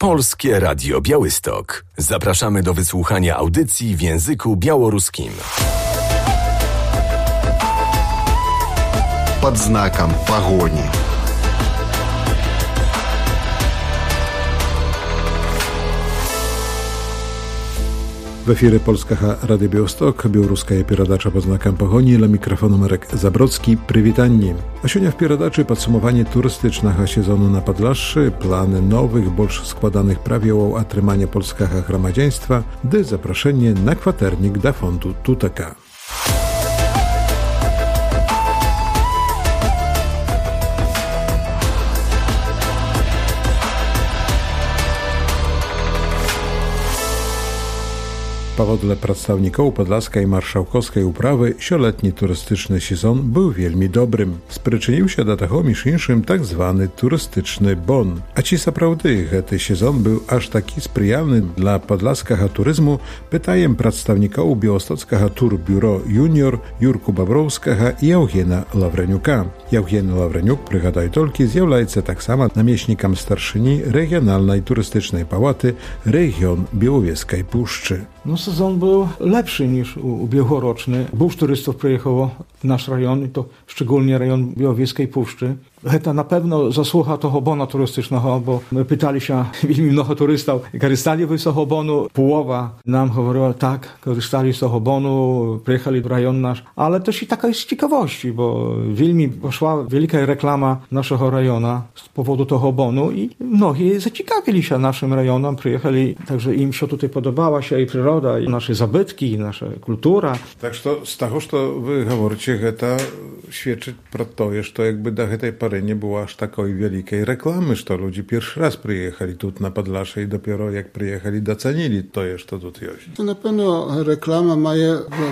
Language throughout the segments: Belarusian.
Polskie Radio Białystok. Zapraszamy do wysłuchania audycji w języku białoruskim. Pod znakiem pogoni. В эфире Польскага Радио Białystok, белорусская передача под знаком погони, ля микрофону Marek Zabrocki. Привитание. А сегодня в передаче подсумование туристycznego сезону на Podlasie, plany nowych, больше składanych prawioł atrymania polskiego gromadieństwa, gdy zaproszenie na kwaternik do fondu Tuteka. Powodle przedstawników podlaskiej marszałkowskiej uprawy sioletni turystyczny sezon był wielmi dobrym. Spriczynił się do tego między innymi tak zwany turystyczny bon. A ci naprawdę ten sezon był aż taki sprzyjalny dla podlaskiego turyzmu, pytajem przedstawników białostockiego Turbiuro Junior Jurku Babrowskiego i Eugena Lawreniuka. Eugen Lawreniuk, przygadaj tolki, zjawляется tak samo namieśnikiem starszyni regionalnej turystycznej pałaty region Białowieskiej Puszczy. No sezon był lepszy niż ubiegłoroczny. Dużo turystów przyjechało w nasz rejon, i to szczególnie rejon Białowieskiej Puszczy. To na pewno zasługa toho bona turystycznego, bo my pytali się wielmi mnoho turystów, korzystali wy z toho bonu. Połowa nam mówiła tak, korzystali z toho bonu, przyjechali do rejon nasz. Ale też i taka jest z ciekawości, bo wielmi poszła wielka reklama naszego rejona z powodu toho bonu i mnogi zaciekawili się naszym rejonem, przyjechali, także im się tutaj podobała się i przyroda, i nasze zabytki, i nasza kultura. Tak, z tego, co wy mówicie, to świadczy pro to, że to jakby do tej pory nie było aż takiej wielkiej reklamy, że ludzie pierwszy raz przyjechali tu na Podlasie i dopiero jak przyjechali, docenili to, że to tu jest. To na pewno reklama ma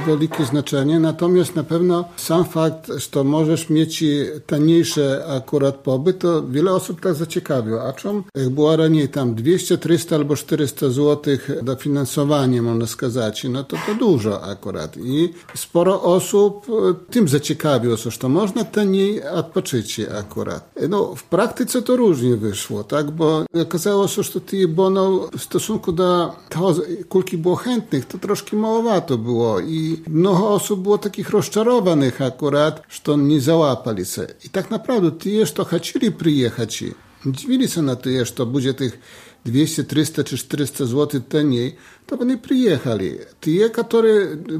wielkie znaczenie, natomiast na pewno sam fakt, że możesz mieć taniejszy akurat pobyt, to wiele osób tak zaciekawiło. A czym jak było raniej tam 200, 300 albo 400 zł dofinansowanie, można сказать, no to dużo akurat. I sporo osób tym zaciekawiło, że to można taniej odpoczyć akurat. No, w praktyce to różnie wyszło, tak, bo okazało się, że tych bonów w stosunku do tego, kulki było chętnych, to troszkę małowato było i mnogo osób było takich rozczarowanych akurat, że nie załapali się. I tak naprawdę ci, co chcieli przyjechać, dziwili się na to, że to będzie tych 200, 300 czy 400 zł taniej, to oni przyjechali. Ci,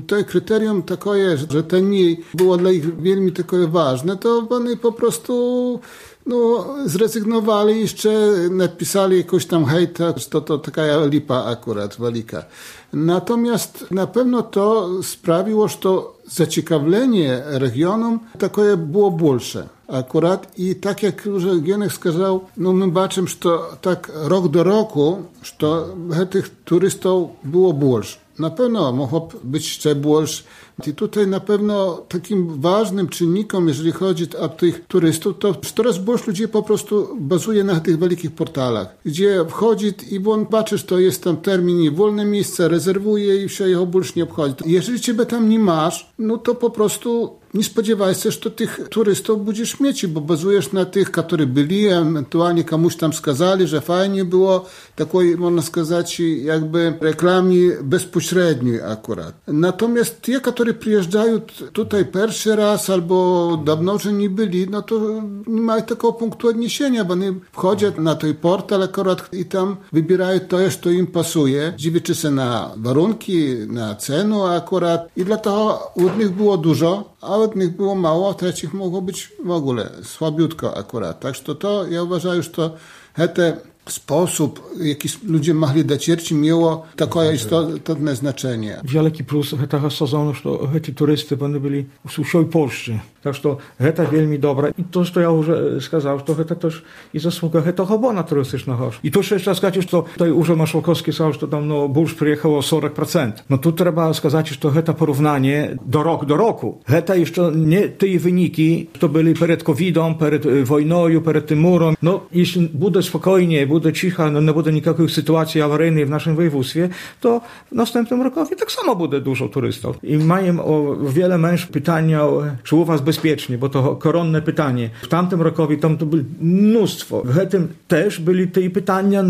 to kryterium takie, że taniej było dla nich wielmi takie ważne, to oni po prostu zrezygnowali, jeszcze napisali jakoś tam hejta, że to taka lipa akurat, walika. Natomiast na pewno to sprawiło, że to zaciekawienie regionom takie było większe. Akurat i tak jak już Gienek сказал, my baczymy, że to tak rok do roku, że tych turystów było больше. Na pewno mogło być jeszcze больше. I tutaj na pewno takim ważnym czynnikiem, jeżeli chodzi o tych turystów, to coraz больше ludzi po prostu bazuje na tych wielkich portalach, gdzie wchodzi i on patrzy, że to jest tam termin i wolne miejsce, rezerwuje i się jego больше nie obchodzi. Jeżeli ciebie tam nie masz, no to po prostu nie spodziewaj się, że tych turystów będziesz mieć, bo bazujesz na tych, którzy byli, ewentualnie komuś tam skazali, że fajnie było, takiej, można сказать, jakby reklamie bezpośredniej akurat. Natomiast ci, którzy przyjeżdżają tutaj pierwszy raz albo dawno, że nie byli, no to nie mają takiego punktu odniesienia, bo oni wchodzą na ten portal akurat i tam wybierają to, co im pasuje, dziwią się na warunki, na cenę akurat i dlatego od nich było dużo, a od nich było mało, a trzecich mogło być w ogóle słabiutko akurat. Tak, że to ja uważam, że to sposób, jaki ludzie mogli docierć, miało takie istotne znaczenie. Wielki plus tego sezonu, że ci turysty będą byli z całej Polski. Tak, że to wielmi dobre. I to, co ja już сказал, że to też i zasługa tego bona turystycznego. I tu jeszcze сказать, że tutaj Urząd Marszałkowski сказал, że tam больше przyjechało 40%. No tu trzeba сказать, że to porównanie do roku. To jeszcze nie te wyniki, to byli przed COVID-em, przed wojną, przed tym murem. No, jeśli będzie spokojnie, буде cicha, nie będzie никаких sytuacji awaryjnych w naszym województwie, to w następnym roku tak samo będzie dużo turystów. I mają o wiele męż pytania, czy u was bezpiecznie, bo to koronne pytanie. W tamtym roku tam to było mnóstwo. W tym też byli te pytania,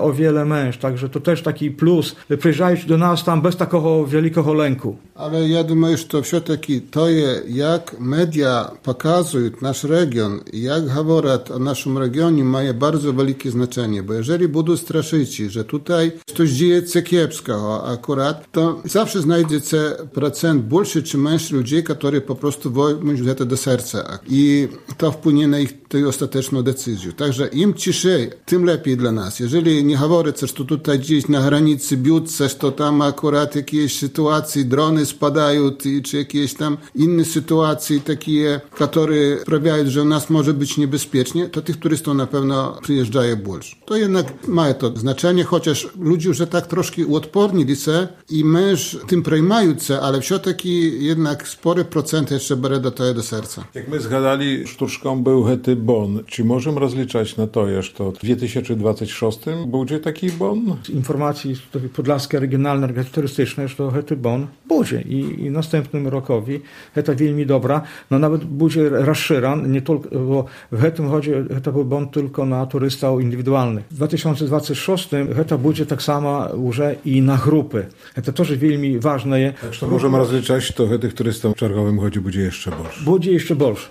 o wiele męż, także to też taki plus. Przyjeżdżają do nas tam bez takiego wielkiego lęku. Ale ja думаю, że все-таки to, jak media pokazują nasz region, jak mówią o naszym regionie, ma bardzo wielkie znaczenie, bo jeżeli będą straszyć, że tutaj coś dzieje się kiepskiego akurat, to zawsze znajdzie się procent больше czy mniejszy ludzi, którzy po prostu wezmą to do serca i to wpłynie na ich ostateczną decyzję. Także im ciszej, tym lepiej dla nas. Jeżeli nie mówicie, że tutaj gdzieś na granicy biją się, że tam akurat jakieś sytuacje, drony spadają, czy jakieś tam inne sytuacje takie, które sprawiają, że u nas może być niebezpiecznie, to tych turystów na pewno przyjeżdżają больше. To jednak ma to znaczenie, chociaż ludzie już tak troszkę uodpornili się i męż tym przejmają się, ale все-таки jednak spory procent jeszcze bere do tego do serca. Jak my zgadali, sztuczką był hety bon. Czy możemy rozliczać na to, że to w 2026 będzie taki bon? Z informacji Podlaskie Regionalne Organizacje Turystyczne, że to hety bon będzie i następnym rokowi heta wielmi dobra, nawet będzie rozszerzany, nie tylko, bo w tym chodzi, heta był bon tylko na turystów indywidualnych. W 2026 heta będzie tak samo już i na grupy. Heta też wielmi ważne. Tak, to możemy rozliczać, to tych turystów w czargowym chodzi będzie jeszcze больше. Będzie jeszcze больше.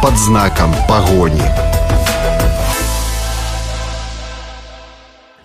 Под знаком погони.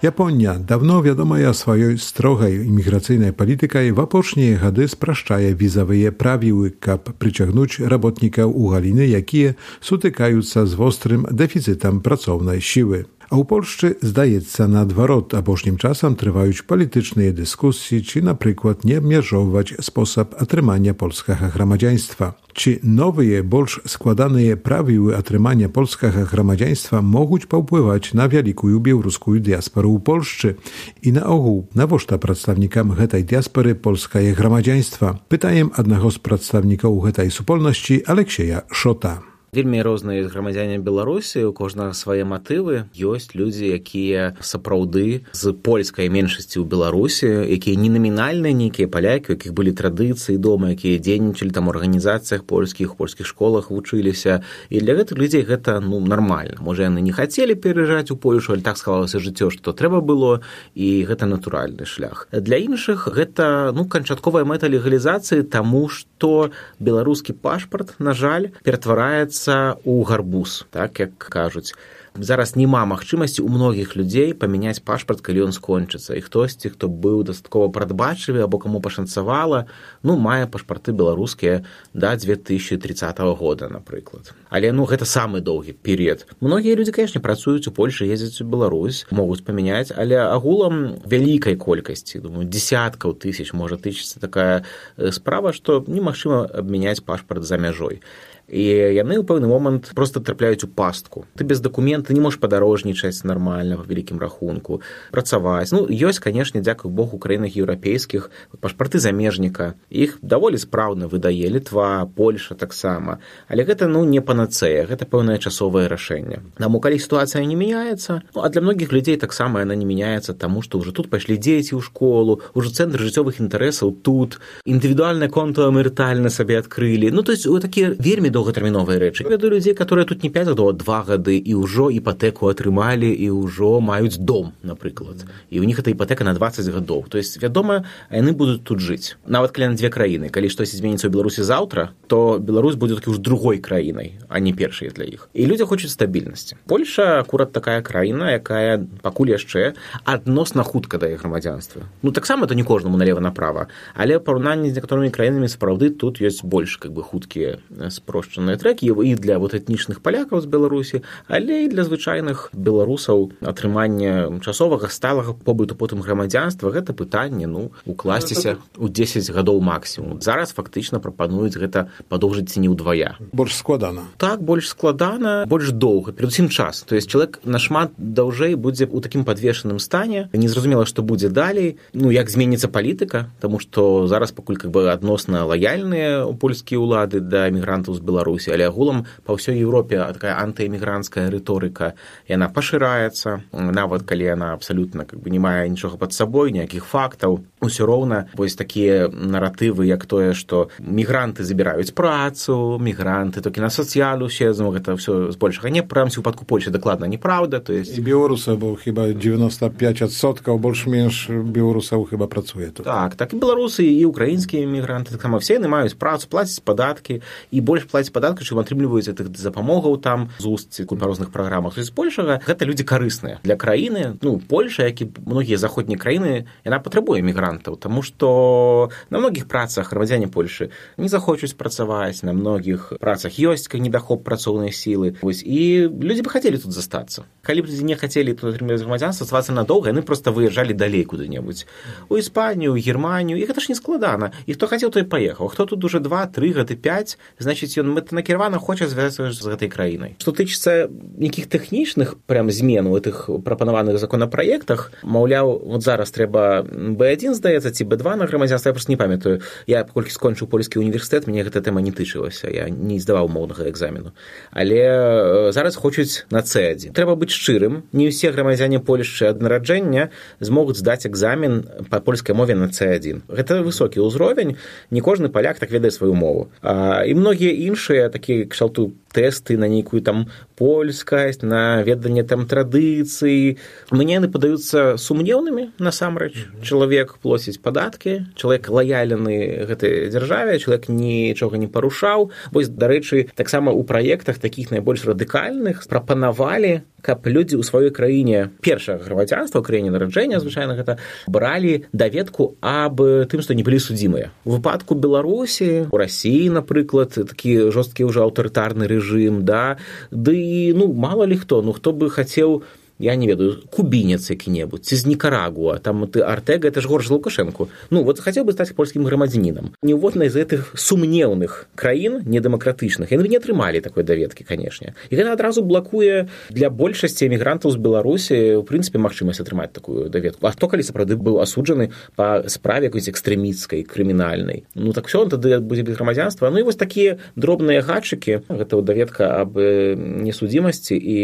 Japonia dawno wiadoma ja swojej strogej imigracyjnej politykai w apocznie hady spraszczaje wizowe prawiły, kap przyciągnąć robotników u haliny, jakie sutykają się z ostrym deficytem pracownej siły. A u Polszczy zdaje się na odwrot, a bożnym czasem trwają polityczne dyskusje, czy na przykład nie mierzować sposób atrymania polskiego gramadziaństwa. Czy nowe, bolsz składane prawiły atrymania polskiego gramadziaństwa mogą popływać na wielką białoruską diasporę u Polszczy i na ogół na woszta przedstawnikom tej diaspory polskiego gramadziaństwa? Pytajem jednego z przedstawników tej supolności Aleksieja Szota. Вельмі розныя грамадзяне Беларусі, у кожнага свае матывы. Ёсць людзі, якія сапраўды з польскай меншасці ў Беларусі, якія не намінальныя нейкія палякі, у якіх былі традыцыі дома, якія дзейнічалі там у арганізацыях польскіх школах вучыліся. І для гэтых людзей гэта нармальна. Можа, яны не хацелі пераязджаць у Польшу, але так склалася жыццё, што трэба было, і гэта натуральны шлях. Для іншых гэта канчатковая мэта легалізацыі, таму што беларускі пашпарт, на жаль, ператвараецца у гарбуз, так як кажуць. Зараз няма магчымасці у многіх людзей памяняць пашпарт, калі ён скончыцца. І хтосьці, хто быў дастаткова прадбачлівы або каму пашанцавала, мае пашпарты беларускія да 2030 года, напрыклад. Але гэта самы доўгі перыяд. Многія людзі, канешне, працуюць у Польшы, ездзяць у Беларусь, могуць памяняць, але агулам вялікай колькасці, дзесяткаў тысяч можа тычыцца такая справа, што немагчыма абмяняць пашпарт за мяжой. І яны ў пэўны момант проста трапляюць у пастку. Ты без дакумента не можаш падарожнічаць нармальна, па вялікім рахунку, працаваць. Ёсць, канешне, дзякуй Богу, у краінах еўрапейскіх пашпарты замежніка. Іх даволі спраўна выдае Літва, Польша таксама. Але гэта, не панацэя, гэта пэўнае часовае рашэнне. Таму, калі сітуацыя не мяняецца, а для многіх людзей таксама яна не мяняецца, таму што ўжо тут пайшлі дзеці ў школу, ўжо цэнтр жыццёвых інтарэсаў тут, індывідуальнае конта мэрытальна сабе адкрылі. То есть, такія вельмі доўгатэрміновыя рэчы. Я ведаю людзей, которые тут не 5 гадоў, а 2 гады, і ўжо іпатэку атрымалі, і ўжо маюць дом, напрыклад. І ў них эта іпатэка на 20 гадоў. То есть, вядома, яны будуць тут жыць. Нават калі на 2 краіны. Калі штось зменіцца ў Беларусі заўтра, то Беларусь будзе такі ўж другой краінай, а не першай для іх. І людзі хочуць стабільнасці. Польша акурат такая краіна, якая пакуль яшчэ адносна хутка дае грамадзянства. Таксама это не кожнаму налева-направа, але ў параўнанні з некаторымі краінамі сапраўды тут ёсць больш хуткія спрошчаныя трэкі і для этнічных палякаў з Беларусі, але і для звычайных беларусаў атрымання часовага сталага побыту потым грамадзянства гэта пытанне укласціся ў 10 гадоў максімум. Зараз фактычна прапануюць гэта падоўжыць ці не ўдвая. Больш складана. Так, больш складана, больш доўга, перадусім час. То есть чалавек нашмат даўжэй будзе ў такім падвешаным стане, незразумела, што будзе далей, як зменіцца палітыка, таму што зараз пакуль адносна лаяльныя польскія ўлады да эмігрантаў з Беларусі, Беларусі, але агулам па ўсёй Еўропе такая антыэмігранцкая рыторыка, яна пашыраецца, нават калі яна абсалютна не мае нічога пад сабой, ніякіх фактаў. Усё роўна вось такія наратывы, як тое, што мігранты забіраюць працу, мігранты толькі на сацыялу седзу, гэта ўсё збольшага не, прынамсі у выпадку Польшчы дакладна неправда. То есть... І беларусы, бо хіба 95% больш-менш беларусаў хіба працуе тут. Так, і беларусы, і украінскія мігранты, таксама все яны маюць працу, плацяць падаткі, і больш плацяць падаткі, чым атрымліваюць гэтых запамогаў там з устці па розных праграмах. То есть збольшага гэта людзі карысныя для краіны. Польша, як і многія заходнія краіны, яна патрабуе мігрантаў, таму што на многіх працах грамадзяне Польшы не захочуць працаваць, на многіх працах ёсць недахоп працоўнай сілы. Вось, і людзі бы хацелі тут застацца. Калі б людзі не хацелі тут атрымаць грамадзянства, ставацца надоўга, яны проста выязджалі далей куды-небудзь. У Іспанію, у Германію, і гэта ж не складана. І хто хацеў, той паехаў. Хто тут уже 2, 3 гады, 5, значыць, ён мэтанакіравана хоча звязацца з гэтай краінай. Што тычыцца нейкіх тэхнічных прям змен у гэтых прапанаваных законапраектах, маўляў, вот зараз трэба B1, здаецца, ці B2 на грамадзянства, я проста не памятаю. Я паколькі скончыў польскі універсітэт, мяне гэта тэма не тычылася. Я не здаваў моўнага экзамену. Але зараз хочуць на C1. Трэба быць шчырым. Не ўсе грамадзяне Польшчы ад нараджэння змогуць здаць экзамен па польскай мове на C1. Гэта высокі ўзровень. Не кожны паляк так ведае сваю мову. І многія іншыя такія кшталту тэсты на нейкую там польскасць, на веданне там традыцый. Мне яны падаюцца сумнеўнымі насамрэч. Чалавек плоціць падаткі, чалавек лаяльны гэтай дзяржаве, чалавек нічога не парушаў. Вось, дарэчы, таксама ў праектах такіх найбольш радыкальных прапанавалі, каб людзі ў сваёй краіне першага грамадзянства, ў краіне нараджэння, звычайна гэта, бралі даведку аб тым, што не былі судзімыя. У выпадку Беларусі, у Расіі, напрыклад, такі жорсткі ўжо аўтарытарны рэжым, да, ды, мала ли хто, хто бы хацеў, я не ведаю, кубінец які-небудзь, ці з Нікарагуа, там ты Артега, это ж горш за Лукашэнку. Вот хацеў бы стаць польскім грамадзянінам. Ніводнай з гэтых сумнеўных краін, недэмакратычных, яны не атрымалі такой даведкі, канешне. І гэта адразу блакуе для большасці эмігрантаў з Беларусі, у прынцыпе, магчымасць атрымаць такую даведку. А хто калі сапраўды быў асуджаны па справе якой-нибудь экстрэмісцкай, крымінальнай? Так все, он тады будзе без грамадзянства. І вось такія дробныя гатчыкі, гэта даведка аб несудзімасці і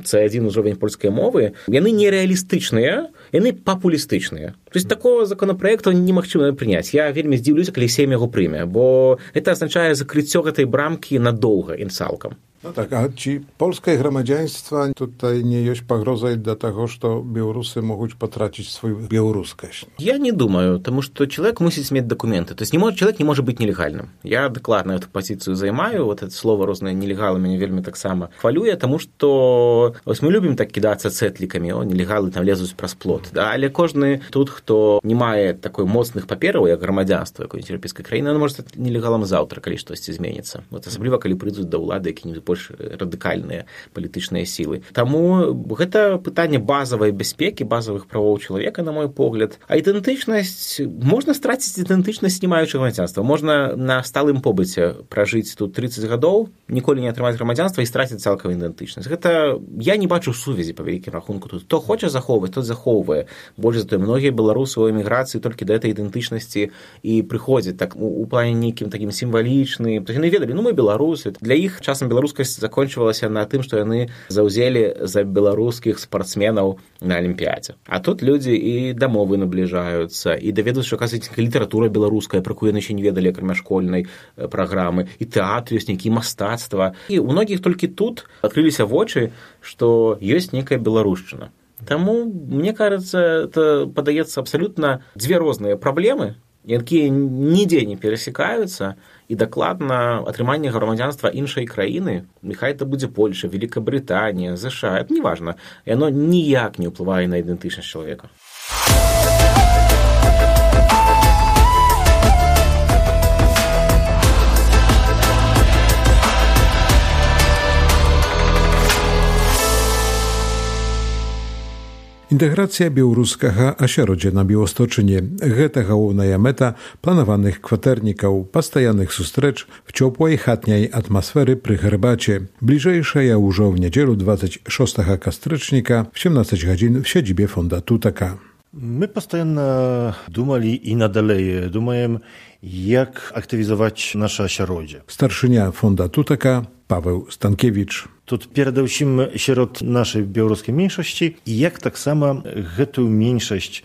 C1 узровень польскай мовы, яны нереалістычныя, яны папулістычныя. То есть такого законопроекту немагчыма прыняць. Я вельмі здзіўлюся, калі Сейм яго прыме, бо гэта азначае закрыццё гэтай брамкі надоўга і цалкам. Tak, a ci polskie громадянства tutaj nie jest погрозой для того, что белорусы могут потратить свою белорусскость? Я не думаю, потому что человек мусит иметь документы. То есть человек не может быть нелегальным. Я докладно эту позицию займаю. Вот это слово розные нелегалы меня вельми так само хвалює, тому что мы любим так кидаться цетликами, нелегалы там лезут праз плот. Да? Але кожны тут, хто не мае такой моцных папераў, як грамадзянства якой-нибудь еўрапейскай краіны, он может стаць нелегалам заўтра, калі штосьці зменіцца. Вот асабліва, калі прыйдуць да ўлады якія-нибудь больш радыкальныя палітычныя сілы. Таму гэта пытанне базавай бяспекі, базавых правоў чалавека, на мой погляд. А ідэнтычнасць, можна страціць ідэнтычнасць, не маючы грамадзянства. Можна на сталым побыце пражыць тут 30 гадоў, ніколі не атрымаць грамадзянства і страціць цалкам ідэнтычнасць. Гэта я не бачу сувязі па вялікім рахунку тут. Хто хоча захоўваць, тот захоўвае. Больш за тое, многія беларусы ў эміграцыі толькі да этой ідэнтычнасці і прыходзяць так у плане нейкім такім сімвалічным. Яны ведалі, мы беларусы. Для іх часам беларускасць закончылася на тым, што яны заўзелі за беларускіх спартсменаў на алімпіядзе. А тут людзі і да мовы набліжаюцца, і даведаюцца, што, аказваецца, літаратура беларуская, пра якую яны ще не ведалі, акрамя школьнай праграмы, і тэатр ёсць, нейкі мастацтва. І у многіх толькі тут адкрыліся вочы, што ёсць нейкая беларушчына. Таму, мне кажется, это падаецца абсалютна дзве розныя праблемы, якія нідзе не перасекаюцца, і дакладна атрыманне грамадзянства іншай краіны, няхай это будзе Польша, Великабрытанія, США, это неважна, яно ніяк не ўплывае на ідэнтычнасць чалавека. Інтэграцыя беларускага асяроддзя на Біłostочыне – гэта галоўная мэта планаваных кватэрнікаў, пастаянных сустрэч в цёплай хатняй атмасферы пры гарбаце. Бліжэйшая ўжо ў нядзелю 26 кастрычніка в 17 гадзін в сядзібе фонда Тутака. My постоянно думали i nadal думаем, jak aktywizować nasze środzie. Starszynia Fonda Tuteka, Paweł Stankiewicz. Тут передусім сярод нашай беларускай меншасці і як таксама гэтую меншасць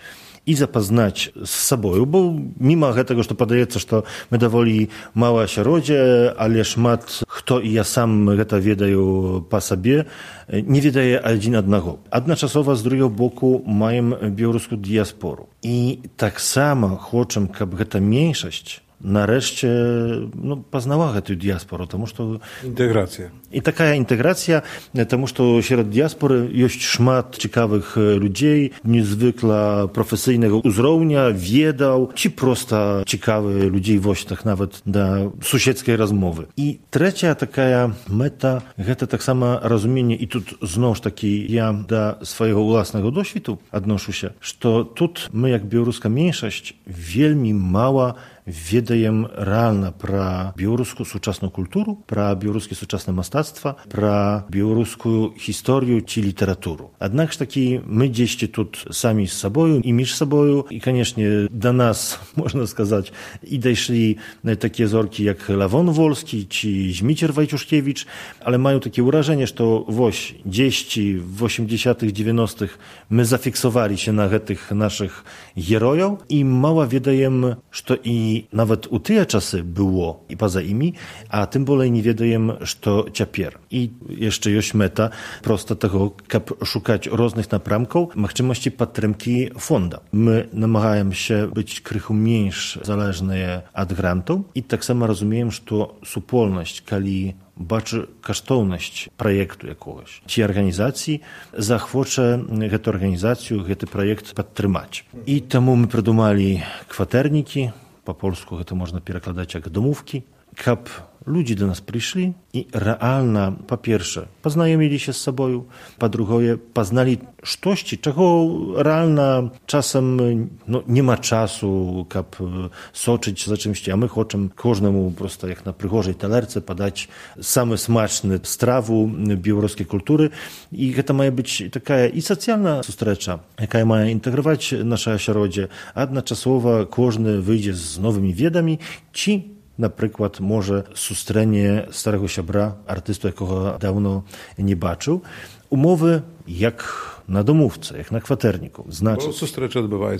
і запазнаць з сабою, бо міма гэтага, што падаецца, што мы даволі мала асяроддзе, але шмат хто і я сам гэта ведаю па сабе, не ведае адзін аднаго. Адначасова з другого боку маем беларускую дыяспору. І таксама хочам, каб гэта меншасць нарэшце пазнала гэтую дыяспору, таму што інтэграцыя. І такая інтэграцыя, таму што сярод дыяспоры ёсць шмат цікавых людзей, незвыкла прафесійнага ўзроўня, ведаў, ці проста цікавыя людзей вось так нават да суседскай размовы. І трэцяя такая мэта гэта таксама разуменне, і тут зноў ж такі я да свайго ўласнага досведу адношуся, што тут мы як беларуская меншасць вельмі мала ведаем рэальна пра беларускую сучасную культуру, пра беларускі сучаснае мастацтва, пра беларускую гісторыю ці літаратуру. Аднак ж такі мы дзесьці тут самі з сабою і між сабою, і, канешне, да нас, можна сказаць, і дайшлі такія зоркі, як Лавон Вольскі ці Зміцер Вайчушкевіч, але маю такі ўражанне, што вось дзесьці в 80-х, 90-х мы зафіксаваліся на гэтых нашых герояў і мала ведаем, што і nawet u tыя часы było i poza imi, a tym болей не ведаем, што цяпер. І яшчэ ёсць мэта проста таго, каб шукаць розных напрамкаў магчымасці падтрымкі фонда. Мы намагаемся быць крыху менш залежныя ад грантаў і таксама разумеем, што супольнасць, калі бачы каштоўнасць праекту якогось ці арганізацыі, захвоча гэту арганізацыю, гэты праект падтрымаць. І таму мы прыдумалі кватэрнікі, па-польску гэта можна перакладаць як дамовкі, каб людзі да нас прыйшлі і рэальна, па-перша, пазнаёміліся з сабою, па-другое, пазналі штосьці, чаго рэальна часам няма часу, каб сочыць за чымсьці, а мы хочам кожнаму проста як на прыгожай талерцы падаць самы смачны страву беларускай культуры, і гэта мае быць такая і сацыяльная сустрэча, якая мае інтэграваць наша асяроддзе, адначасова кожны выйдзе з новымі ведамі, ці напрыклад, можа сустрэне старого сябра, артысту, якога даўно не бачыў. Умовы як на домówce, jak na kwaterniku. Bo sustrecze odbywają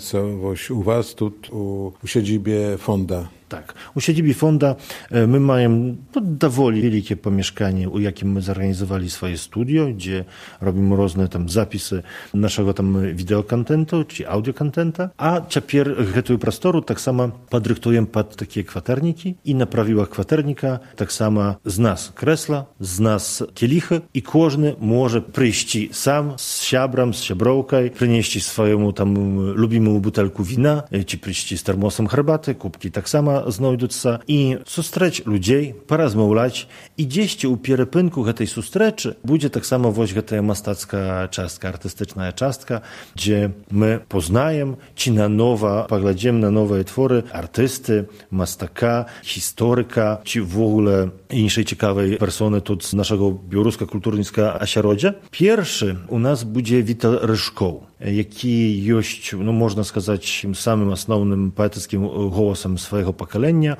u was, tu u siedzibie fonda. Tak, u siedzibie fonda my mamy dowoli wielkie pomieszkanie, u jakim my zorganizowali swoje studio, gdzie robimy różne tam zapisy naszego tam wideokontentu czy audiokontenta, a ciapier гэтую prostoru tak samo podryktujemy pod takie kwaterniki i na prawiłach kwaternika tak samo z nas kresla, z nas kielichy i każdy może przyjść sam z siabrem, z siabrowką, przynieść swojemu tam lubimemu butelku wina, czy przyjść z termosem herbaty, kubki tak samo znajduться i sustrzeć ludzi, porozmawiać i gdzieś u pierepynku tej sustreczy będzie tak samo właśnie ta mastacka czastka, artystyczna czastka, gdzie my poznajemy, czy na nowo, poglądamy na nowe twory artysty, mastaka, historyka, czy w ogóle innej ciekawej persony tu z naszego białoruskiego kulturnictwa ośrodka. Pierwszy u nas będzie Witel Ryszkoł, jaki jest, no można сказать, samym основnym poetyckim głosem swojego pokolenia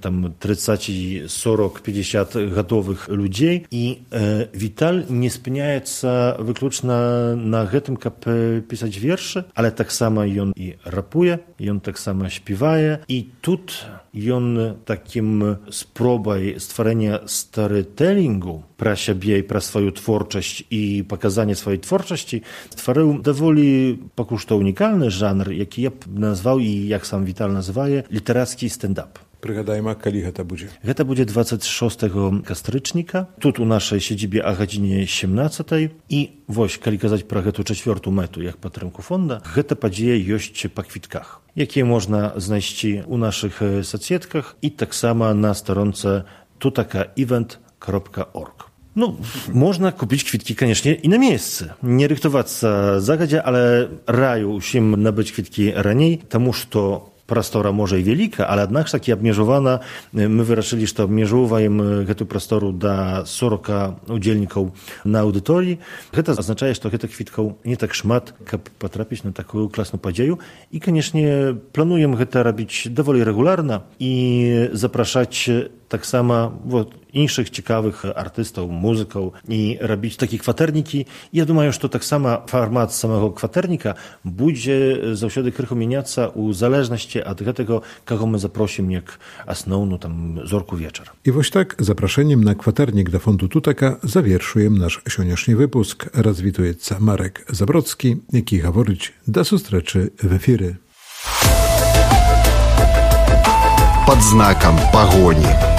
tam 30, 40, 50 gotowych ludzi i Witel nie spełnia się wyłącznie na tym, aby pisać wiersze, ale tak samo on i rapuje, i on tak samo śpiewaje i тут on takim spróbą stworzenia storytellingu про siebie i про swoją twórczość i pokazanie swojej twórczości stworzył dowoli pokuszto unikalny żanr, jaki ja nazwał i jak sam Wital nazywa, literacki stand-up. Przygadajmy, kiedy to będzie? To będzie 26 kastrycznika, tu u naszej siedzibie o godzinie 17 i właśnie, kiedy kazać про tę czwartą metę, jak patrymku fonda, to podzieje jest po kwitkach, jakie można znaleźć u naszych socjetkach i tak samo na stronce tutakaevent.org. No, można kupić kwitki, koniecznie i na miejsce. Nie ryktować się zagadzie, ale raju musimy nabyć kwitki raniej, тому что Прастора можа і вяліка, але аднак ж такі абмежавана. Мы вырашылі, што абмежоўваем гэту прастору да 40 удзельнікаў на аўдыторыі. Гэта азначае, што гэтых квіткаў не так шмат, каб патрапіць на такую класную падзею. І, канешне, плануем гэта рабіць даволі рэгулярна і запрашаць таксама іншых цікавых артыстаў, музыкаў і рабіць такія кватэрнікі. Я думаю, што таксама фармат самого кватэрніка будзе заўсёды крыху мяняцца ў залежнасці ад гэтага, каго мы запросім як асноўную зорку вечара. І вось так запрашэннем на кватэрнік да фонду Тутака завершуем наш сённяшні выпуск. Развітуецца Марек Забродскі, які гаворыць да сустрэчы в эфіры. Под знаком погони.